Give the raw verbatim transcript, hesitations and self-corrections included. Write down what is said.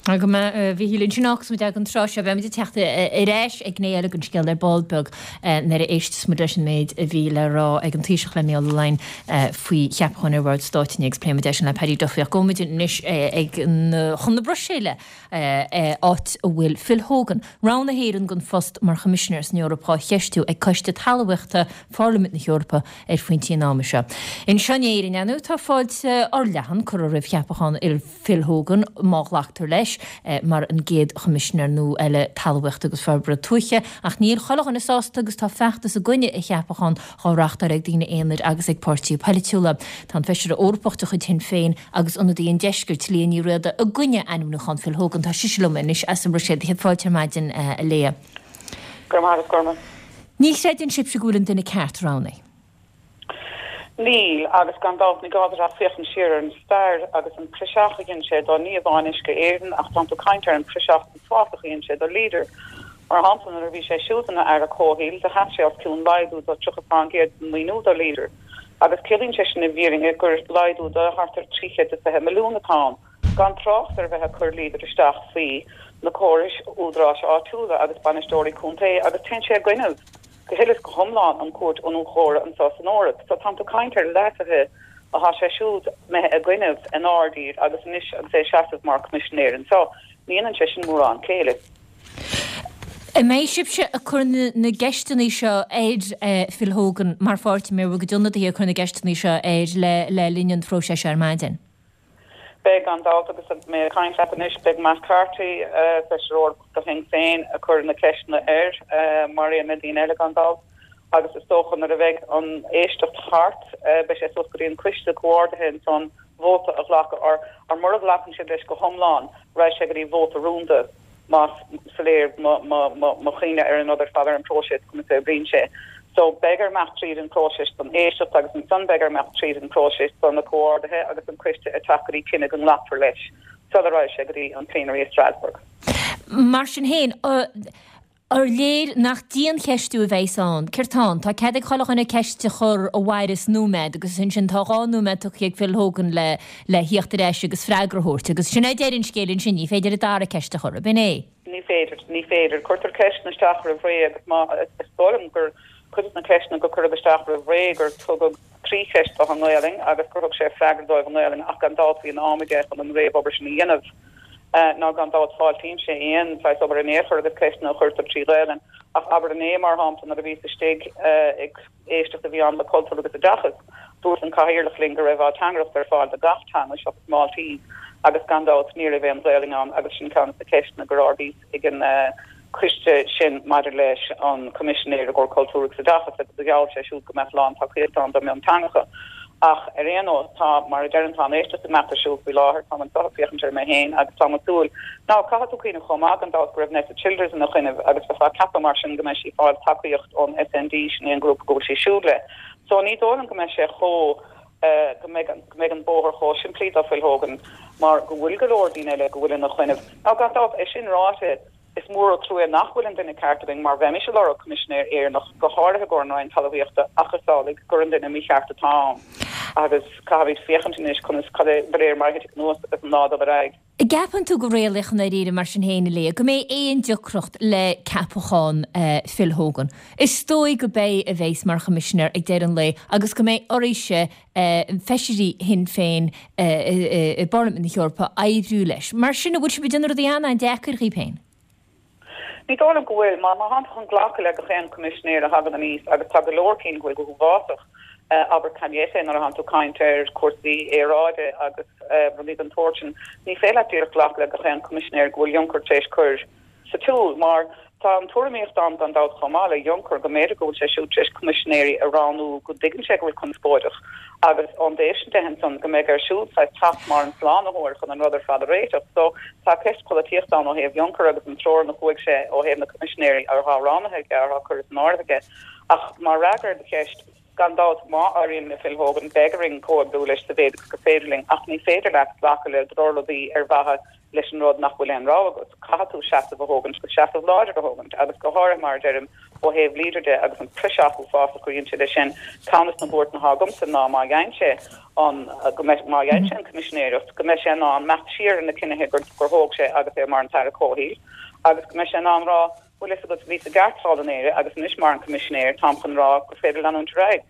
Go maith, a Mhíchíl, ansin agus muid ag an tráth seo, beimid ag teacht ar ais ag gné eile den scéal ar ball beag nuair a éisteas muid leis an méid a bhí le rá ag an Taoiseach le Mícheál Ó Laighin faoi cheapachán ar Bhord Stáit inné agus pléifimid é sin le Paddy Duffy ach gabhfaimid anois ag chun na Bruiséile áit a bhfuil Phil Hogan, rogha na hÉireann don phost mar Choimisinéir san Eoraip á cheistiú ag Coiste Talmhaíochta Pharlaimint na hEorpa ar phointí an ama seo. Anseo in Éirinn, ar ndóigh, tá fáilte fhorleathan curtha roimh cheapachán Phil Hogan, má ghlactar leis, mar an gcéad Choimisinéir nua eile Talmhaíochta agus Forbartha Tuaithe, ach níl chuile dhuine sásta agus tá feachtas i gcoinne a cheapacháin á reáchtáil ag daoine aonair agus ag páirtithe polaitiúla. Tá an Feisire Eorpach de chuid Shinn Féin agus ionadaí an Deiscirt, Liadh Ní Riada, i gcoinne ainmniúchán Phil Hogan. Tá sise liom anois as an mBruiséil. Céad fáilte ar maidin, a Liadh. Go raibh maith agat, Gorma. Ní chreideann sibhse go bhfuil an duine ceart roghnaithe. Níl, agus gan dabht ní gá duit ach féachaint siar ar an stair agus an praiseach a dhein sé do ní amháin Uisce Éireann ach tánn tú ag caint ar an praiseach uafásach a dhein sé do Leader. Mar shampla nuair a bhí sé siúd ina Aire Comhshaoil do sheas sé os cionn laghdú do tríocha fán gcéad den maoiniú do Leader agus ciallaíonn sé sin i bhfírinne gur laghdú do thart ar trí chéad is fiche milliún atá ann. Gan trácht ar bheith ag cur Leader isteach faoi na córais údaráis áitiúla agus bainisteoirí contae agus téann sé i gcoinnibh go huile is go hiomlán an Cúirt Iniúchóra anseo san Eoraip. So tánn tú ag caint ar leasuithe athá sé siúd imithe i gcoinnibh inár dtír agus anois agus é ag seasamh mar Choimisinéir anseo. Ní dhéanann sé sin mórán céille. An mbeidh sibhse ag cur na gceisteanna seo ar Phil Hogan mar pháirtí, an mbeidh bhur gcuid ionadaithe ag cur na gceisteanna seo air le linn an phróisis seo ar maidin? Beidh, gan dabht, agus mé ag caint leat anois, beidh Matt Carthy, Feisire Eorpach do Shinn Féin, ag cur na ceisteanna air, mar aon le daoine eile, gan dabht, agus is dócha nuair a bheidh an éisteacht thart, beidh sé suas go dtí an coiste comhordaithe ansan vóta a ghlacadh, or mura nglacann siad leis go hiomlán, raghaidh sé go dtí vóta rúnda. más soiléir mo chuimhne ar an rud ar fad, ar an bpróiseas, conas a oibríonn sé. So, beidh air imeacht tríd an bpróiseas don éisteacht agus ansan beidh air imeacht tríd an bpróiseas do na comhordaithe agus an coiste ag teacht go dtí cinneadh go nglacfar leis sula raghaidh sé go dtí an plenary i Strasbourg. Mar sin féin, ar léir nach diancheistiú a bheas ann? Céard tá ann? Tá cead ag chuile dhuine ceist a chur a mhaireas nóiméad agus ansin tá dhá nóiméad tugtha ag Phil Hogan le le thíocht ar ais agus freagra a thabhairt agus sin é deireadh an scéil ansin, ní féidir an dara ceist a chur, ab in é? Ní féidir, ní féidir. Cuirtear ceisteanna isteach roimh ré agus má, is dóigh liom gur cuid de na ceisteanna go cuireadh isteach roimh ré gur tugadh trí cheist dó i nGaelainn agus gur thug sé freagra dóibh i nGaelainn ach gan dabht bhí an am aige chun an réamhobair sin a dhéanamh. Ná gan dabht fáiltímse aon saghas obair in aon chor agus ceisteanna a chuirtear trí Ghaelainn. Ach abair inné, mar shampla, nuair a bhíos istigh ag éisteacht a bhí ann le Cultúr agus Oideachas, dúirt an Cathaoirleach linn go raibh ateangaireacht ar fáil do gach teanga seachas Maltese agus gan dabht ní raibh aon Ghaelainn ann agus sin ceann de na ceisteanna gur ardaíos ag an coiste sin maidir leis an Coimisinéir i gcomhair Cultúr agus Oideachas agus do gheall sé siúd go mbeadh lán-tacaíocht ann do mhionteangacha. Ach ar aon nós, tá, mar a deirim, tá an éisteacht ag imeacht ar siúl faoi láthair, táim anseo ag féachaint air mé féin agus táim ag súil. Now, caithfidh tú cuimhneamh chomh maith gan dabht go raibh Nessa Childers ina choinnibh agus bheifeá ag ceapadh mar sin go mbeidh sí ag fáil tacaíocht ón SND, sin é an grúpa go bhfuil sí siúd le. So ní dóigh liom go mbeidh sé chomh, go mbeidh, go mbeidh an bóthar chomh simplí do Phil Hogan mar go bhfuil go leor daoine eile go bhfuil ina choinnibh. Now, gan dabht, é sin ráite, Is mór an trua nach bhfuil an duine ceart againn mar bheimis ag lorg Coimisinéir Éireannach, go háirithe i gcomhair an Roinn Talmhaíochta, ach is amhlaidh gur an duine mícheart atá ann agus caithfimid féachaint anois conas, cad é, de réir mar a thitfidh anuas agus an lá ag dul ar aghaidh. An gceapann tú go réalaíoch i ndáiríre mar sin féin, a Liadh, go mbeidh aon deacracht le ceapachán Phil Hogan? Is dóigh go b'é a bheas mar Choimisinéir ag deireadh an lae agus go mbeidh oraibhse, feisirí Shinn Féin i bParlaimint na hEorpa oibriú leis. Mar sin, an bhfuil sibh ag déanamh rudaí an-an-deacair dhaoibh féin? Ní dóigh liom go bhfuil, mar má thánn tú chun glacadh le gach aon Coimisinéir a thagann aníos, agus tá go leor cinn go bhfuil go huafásach, abair Cañete nuair a thánn tú ag caint ar chúrsaí aeráide agus rudaí den tsórt sin, ní féidir leat díreach glacadh le gach aon Coimisinéir go bhfuil Juncker tar éis cur sa tsiúl, mar tá an tuairimíocht ann gan dabht chomh maith le Juncker go mb'fhéidir go bhfuil sé siúd tar éis coimisinéirí a roghnú go dtuigeann sé go bhfuil conspóideach agus ón dtaobh sin de ansan go mbeidh air siúd saghas teacht mar an slánaitheoir chun an rud ar fad a réiteach. So tá ceist polaitíochta ann ó thaobh Juncker agus an treoir ina chuaigh sé ó thaobh na coimisinéirí atá roghnaithe aige atá curtha san áireamh aige. Ach mar fhreagra ar do cheist, gan dabht má éiríonn le Phil Hogan beidh orainn comhoibriú leis sa mhéid agus gur féidir linn ach ní féidir leat glacadh le drochrudaí ar mhaithe leis an rud nach bhfuil aon rogha agat. Caithfidh tú seasamh a thógaint go seasamh láidir a thógaint agus go háirithe mar deirim ó thaobh leader de agus an pressure uafásach a chuireann sé leis sin ceann de na buartha atá agamsa ná má fhaigheann sé an go má fhaigheann sé an coimisinéireacht go mbeidh sé in ann imeacht siar na cinntí gur gur thóg sé agus é mar an tAire Comhshaoil agus go mbeidh sé in ann rá bhfuil a fhios agat bhíos i gceart thall in Éirinn agus anois mar an coimisinéir táim chun rá gur féidir leanúint ar aghaidh.